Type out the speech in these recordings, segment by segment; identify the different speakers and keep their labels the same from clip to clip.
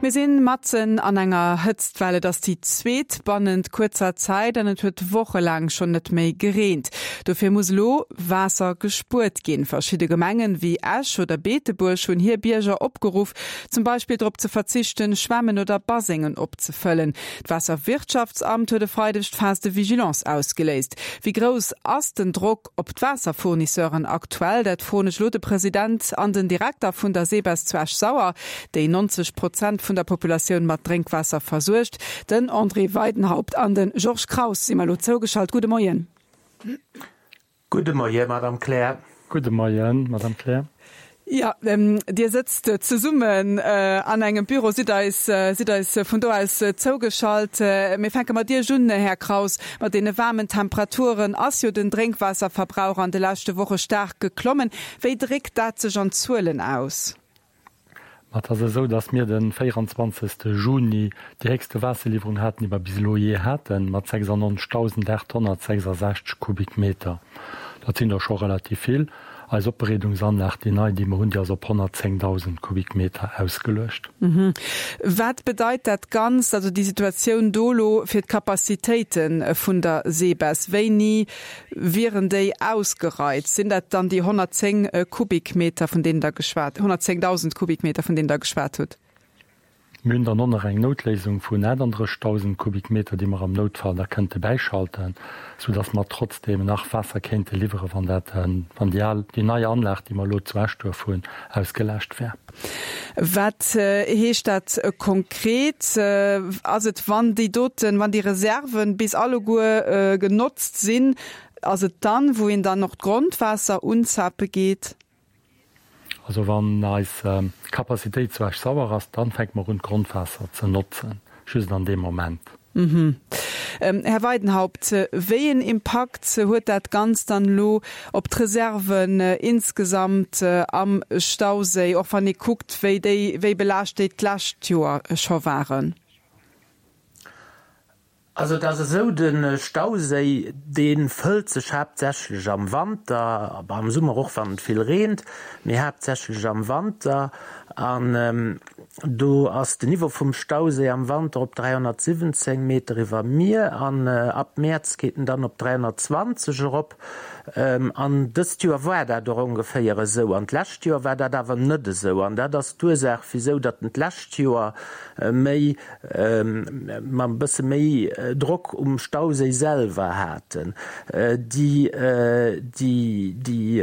Speaker 1: Mir sinn matzen an enger Hëtztwell. Et ass déi zweet bannent kuerzer Zäit an et huet wochelaang schonn net méi gereent. Dofir muss elo Waasser gespuert ginn. Verschidde Gemengen, wéi Esch oder Beetebuerg, hunn hir Bierger opgeruff, zum Beispill drop ze verzichten, Schwämmen oder Basengen opzefëllen. D'Waasserwirtschaftsamt huet e Freideg d'Phase de vigilance ausgeléist. Wéi grouss ass den Drock op d'Waasserfournisseuren aktuell? Dat froen ech elo de President an den Direkter vun der SEBES zu Esch-Sauer, déi 90 Prozent vun der Populatioun mat Drénkwaasser versuergt. Den André Weidenhaupt an de Georges Kraus si mer elo zougeschalt. Gudde Moien.
Speaker 2: Gudde Moien, Madame Kleer.
Speaker 3: Gudde Moien, Madame Kleer.
Speaker 1: Jo, Dir sëtzt zesummen an engem Büro, sidd eis, sidd eis vun do aus zougeschalt. Mir fänke mat Iech un, Här Kraus. Mat deene waarmen Temperaturen ass jo den Drénkwaasserverbrauch an de leschte Woche staark geklommen. Wéi dréckt dat sech an Zuelen aus?
Speaker 3: Ma et ass esou, datt mir de 24 Juni déi héchste Waasserliwwerung haten, déi mer bis elo jee haten, mat 96.866 Kubikmeter. Dat sinn der scho relativ vill. Eis Opbereedungsanlag, déi nei, déi mer hunn, déi ass op 110.000 Kubikmeter ausgeluecht.
Speaker 1: Wat bedeit dat Ganzt, also déi Situatioun do elo fir d'Capacitéite vun der SEBES? Wéini Wieren déi ausgereizt? Sinn dat dann déi 110 Kubikmeter, vun deenen Der geschwat, 110.000 Kubikmeter, vun deenen Der geschwat hutt?
Speaker 3: Mir hunn dann och nach eng Noutléisung vun 38.000 Kubikmeter, déi mer am Noutfall da kënnte bäischalten, soudass mer trotzdeem nach Waasser kéinte liwweren, wann dat, wann déi al, déi nei Anlag, déi mer elo zu Eschduerf hunn, ausgelascht wär.
Speaker 1: Wat heescht dat konkret? Ass et, wann déi doten, wann déi Reserven bis alleguer genotzt sinn, ass et dann, wou een dann och d'Grondwaasser unzape geet?
Speaker 3: Also wann eis Capacitéit zu Esch-Sauer ass, dann fänke mer un d'Grondwaasser ze notzen, just an deem Moment.
Speaker 1: Här Weidenhaupt, wéi een Impakt huet dat Ganzt dann elo op d'Reserven insgesamt am Stauséi, och wann ee kuckt, wéi déi, wéi belaascht déi d'lescht Joer scho waren?
Speaker 2: Also et ass esou, de Stauséi, dee fëllt sech haaptsächlech am Wanter, am Summer och, wann et vill reent, mee haaptsächlech am Wanter. An do ass den Niveau vum Stauséi am Wanter op 317 Meter iwwer Mier an ab Mäerz geet en dann op 320 erop. An dëst Joer war dat och ongeféier esou an d'lescht Joer war dat awer net esou. An dat ass d'Ursaach, wisou datt en d'lescht Joer méi, mer e bësse méi Drock um Stauséi selwer haten. Déi, déi, déi.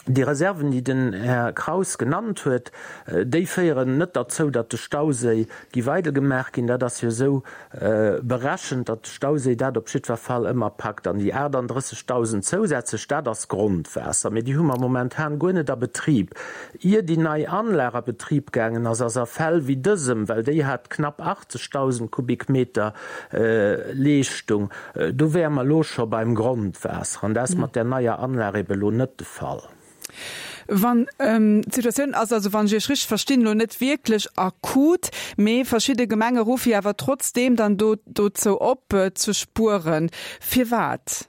Speaker 2: Déi Reserven, déi den Här Kraus genannt huet, déi féieren net derzou, datt de Stauséi gi weidelgemaach ginn. Dat ass jo esou berechent, datt de Stauséi dat op jiddwer Fall ëmmer packt. An déi 38.000 zousätzlech, dat ass Grondwaasser, mee déi hu mer momentan guer net a Betrib. Ier déi nei Anlag a Betrib gaangen ass, ass a Fäll wéi dësem, well déi hat knapp 80.000 Kubikmeter Leeschtung, Do wäre mer elo scho beim Grondwaasser, an dat ass mat där neier Anlag ebe elo net de Fall.
Speaker 1: Wann d'Situatioun ass also, wann ech Iech richteg verstinn, elo net wierklech akut, mee verschidde Gemenge ruffe jo awer trotzdeem dann do dozou op, ze spueren. Firwat?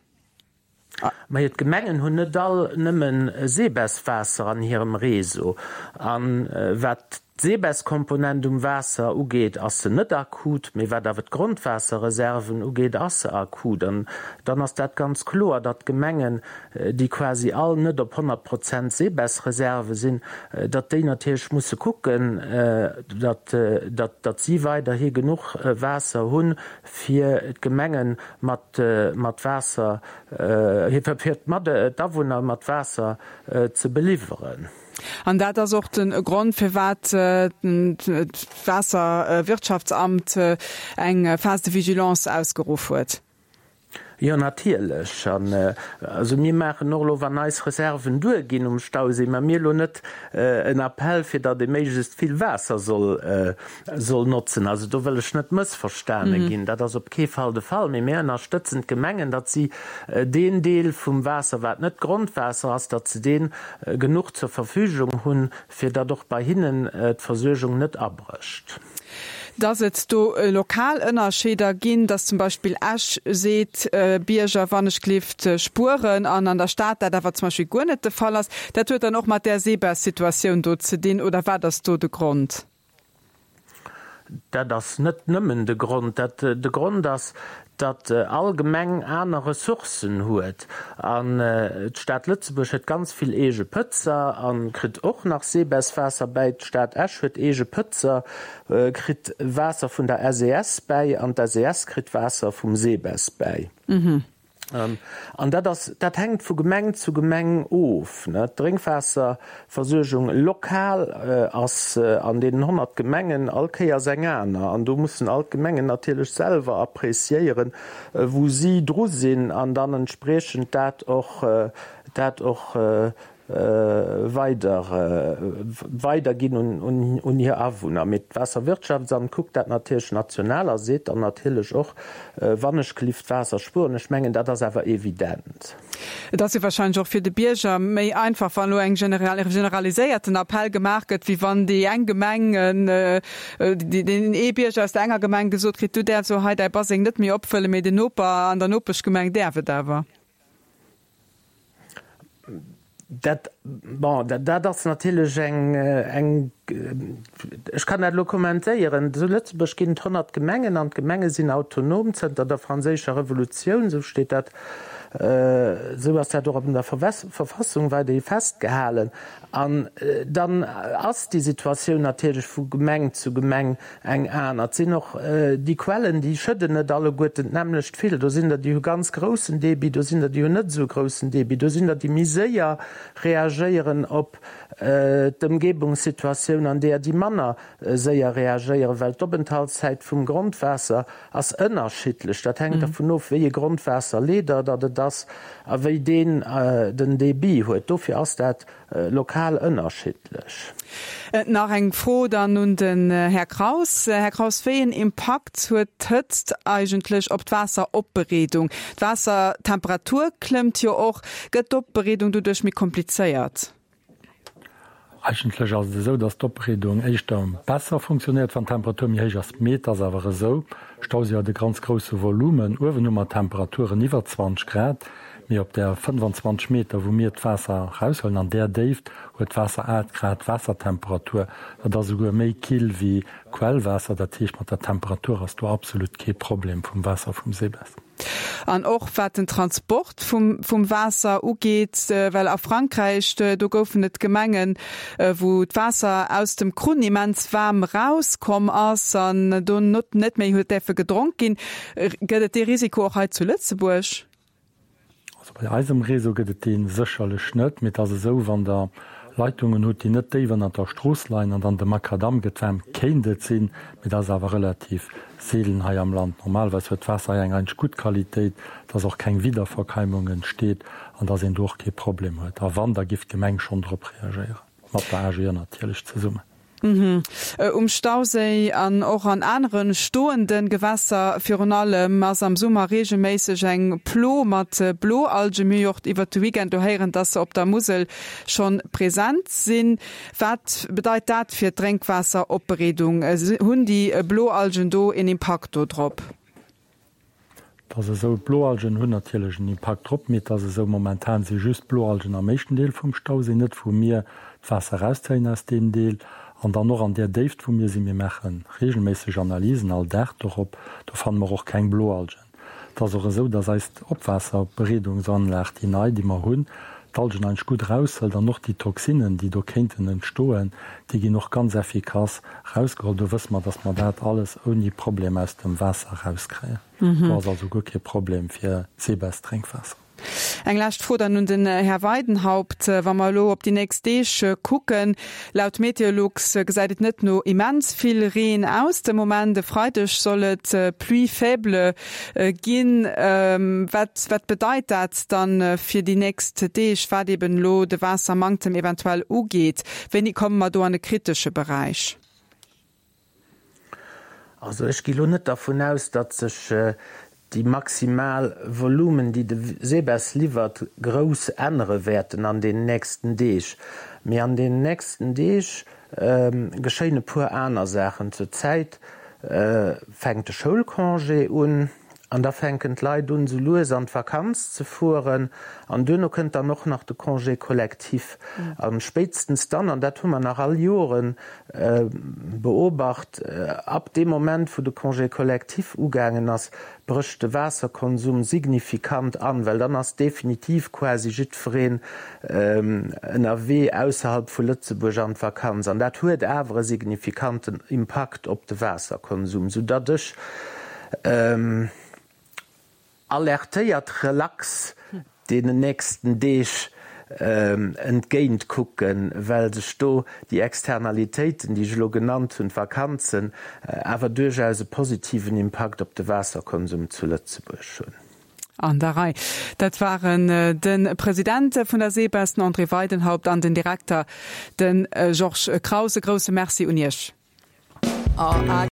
Speaker 2: Majo, d'Gemengen hunn net all nëmme Sebes-Waasser an hirem Réseau. A wat d'Sebes-Komponent um Waasser ugeet, ass se net akut, mee wat awer d'Grondwaasserreserven ugeet, ass se akut. An dann ass dat ganz kloer, datt d'Gemengen, déi quasi all net op 100 Prozent Sebes-Reserve sinn, datt déi natierlech musse kucken, datt, datt si weiderhi genuch Waasser hunn, fir d'Gemenge mat Waasser, fir d'Awunner mat Waasser ze beliwweren.
Speaker 1: An dat ass och de Grond, firwat d'Waasserwirtschaftsamt eng Phase de vigilance ausgeruff huet.
Speaker 2: Jo, natierlech. An also mir maachen och elo, wann eis Reserven duerginn um Stauséi, ma mir elo net en Appell, fir datt ee méiglechst vill Waasser soll soll notzen. Also do wëll ech net mëssverstane ginn, dat ass op kee Fall de Fall. Mee mir ënnerstëtzen d'Gemengen, datt si deen Deel vum Waasser, wat net Grondwaasser ass, datt se dee genuch zur Verfügung hunn, fir datt och bei hinnen d'Versuergung net abrécht.
Speaker 1: Dass et do lokal Ënnerscheeder ginn, dass zum Beispill Esch seet, Bierger wannechgelift spueren, an an der Stad dat awer zum Beispill guer net de Fall ass, dat huet dann och mat där Sebes-Situatioun do ze dinn, oder wat ass do de Grond?
Speaker 2: Dat ass net nëmmen de Grond. Dat de Grond ass, datt all Gemeng aner Ressourcen huet. An d'Stad Lëtzebuerg huet ganz vill eege Pëtzer a kritt och nach Seebesswaasser bäi. D'Stad Esch huet eege Pëtzer, kritt Waasser vun der SES bäi an d'SES kritt Waasser vum Seebess bäi. An dat ass, dat hänkt vu Gemeng zu Gemeng of. D'Drénkwaasserversuergung lokal ass an deenen 100 Gemengen all Kéiers eng aner. An do mussen all d'Gemengen natierlech selwer appréciéieren, wou si dru sinn an dann entspriechend dat och, dat och weider weiderginn un hir Awunner. Mee d'Waasserwirtschaftsamt kuckt dat natierlech national a seet dann natierlech och, Wannechgelift Waasser spueren. Ech mengen, dat ass awer evident.
Speaker 1: Et ass jo wahrscheinlech och fir de Bierger méi einfach, wann elo eng generaliséierten Appell gemaach gëtt, wéi wann déi eng Gemeng, deen ee Bierger aus der enger Gemeng gesot kritt, du däerfs elo hei däi Baseng net méi opfëllen, mee den Noper an der Nopeschgemeng däerf et awer.
Speaker 2: Dat, bon, dat ass natierlech eng, eng, ech kann dat elo kommentéieren. Zu Lëtzebuerg ginn et 100 Gemengen an d'Gemenge sinn autonom zënter der Franséischer Revolutioun, esou steet dat, esou ass dat och an der Verfassung weiderhi festgehalen. An dann ass déi Situatioun natierlech vu Gemeng zu Gemeng eng aner. Et sinn och déi Quellen, déi schëdden net alleguerten d'nämmlecht vill. Do sinn der, déi hu ganz groussen Débit, do sinn der, déi hunn net esou e groussen Débit, do sinn der, déi méi séier reagéieren op d'Ëmgebungssituatioun an deeër, déi manner séier reagéieren, well d'Openthaltszäit vum Grondwaasser ass ënnerschiddlech. Dat hänkt dervun of, wéi e Grondwaasserleeder datt et ass a wéi deen den Débit huet. Dofir ass dat lokal ënnerschiddlech.
Speaker 1: Nach eng Fro dann un den Här Kraus. Här Kraus, wéi een Impakt huet d'Hëtzt eigentlech op d'Waasseropbereedung? D'Waassertemperatur klëmmt jo och. Gëtt d'Opbereedung doduerch méi komplizéiert?
Speaker 3: Eigentlech ass et esou, dass d'Opbereedung éischter besser funktionéiert, wann d'Temperatur méi héich ass. Mee et ass awer esou, Stauséi huet e ganz grousse Volumen. Uewen hu mer Temperaturen iwwer 20 Grad, mee op där 25 Meter, wou mir d'Waasser eraushuelen, an där Déift huet d'Waasser 8 Grad Waassertemperatur. Dat ass esouguer méi kill wéi Quellwaasser. Dat heescht, mat der Temperatur ass do absolut kee Problem vum Waasser vum Seebess.
Speaker 1: An och wat den Transport vum Waasser ugeet, well a Frankräich, do goufen et Gemengen, wou d'Waasser aus dem Krunn immens waarm erauskomm ass an do net méi huet däerfe gedronk ginn. Gëtt et dee Risiko och hei zu Lëtzebuerg?
Speaker 3: Also bei eisem Réseau gëtt et dee sécherlech net, mee et ass esou, wann Der Leitungen hutt, déi net déif ënnert der Strooss leien an dann de Makadamm gëtt waarm, kéint et sinn, mee dat ass awer relativ seelen hei am Land. Normalerweis huet d'Waasser hei eng eigentlech gutt Qualitéit, dass och keng Wiederverkeimung entsteet an dass een do och kee Problem huet. A wann, da giff d'Gemeng schonn drop reagéieren, mat der AGE natierlech zesummen.
Speaker 1: Um Stauséi an och an anere stoende Gewässer virun allem ass am Summer reegelméisseg eng Plo mat Bloalgen. Mir hu jo och iwwert de Weekend do héieren, dass se op der Musel schonn present sinn. Wat bedeit dat fir d'Drénkwaasseropbereedung? Hunn déi Bloalgen do een Impakt do drop?
Speaker 3: Et ass esou, d'Bloalgen hunn natierlech en Impakt drop, mee et ass esou, momentan si just d'Bloalgen am éischten Deel vum Stauséi, net wou mir d'Waasser erauszéien aus deem Deel an dann och an där Déift wou mir sinn. Mir maache reegelméisseg Analysen all Dag dorop, do fanne mer och keng Bloalgen. Et ass och esou, dass eis Opwaasserbereedungsanlag, déi nei, déi mer hunn, d'Algen eigentlech gutt eraushëlt an och déi Toxinen, déi do kéinten entstoen, déi ginn och ganz effikass Rausgeholl. Do wësse mer, dass mer dat alles ouni Problem aus dem Waasser erauskréien. Do ass also guer kee Problem fir d'Seebess-Drénkwaasser.
Speaker 1: Eng lescht Fro dann un den Här Weidenhaupt. Wa mer elo op déi nächst Deeg kucken, laut Meteolux gesäit et net no immens vill Reen aus de Moment. E Freideg soll et Pluie faible ginn. Wat wat bedeit dat dann fir déi nächst Deeg, wat eben elo de Waassermanktem eventuell ugeet? Wéini komme mer do an e kritesche Beräich?
Speaker 2: Also ech gi lo net dervun aus, datt sech déi maximal Volumen, déi de SEBES liwwert, grouss ännere wäerten an den nächsten Deeg. Mee an den nächsten Deeg geschéien e puer aner Saachen. Zur Zäit fänkt de Schoulcongé un. An da fänken d'Leit un, sou lues an d'Vakanz ze fueren. An duerno kënnt dann och nach de Congé collectif. A spéitstens dann, an dat hu mer nach all Jore beobacht, ab deem Moment, wou de Congé collectif ugaangen ass, brécht de Waasserkonsum signifikant an, well dann ass definitiv quasi jiddwereen ënnerwee ausserhalb vu Lëtzebuerg an d'Vakanz. An dat huet awer e signifikanten Impakt op de Waasserkonsum, soudatt ech alertéiert relax deenen nächsten Deeg entgéint kucken, well sech do déi Externalitéiten, déi ech elo genannt hunn, d'Vakanzen, awer duerchaus e positiven Impakt op de Waasserkonsum zu Lëtzebuerg hunn.
Speaker 1: An der Rei. Dat waren de President vun der SEBES, den André Weidenhaupt, an den Direkter, de Georges Kraus. E grousse Merci un Iech.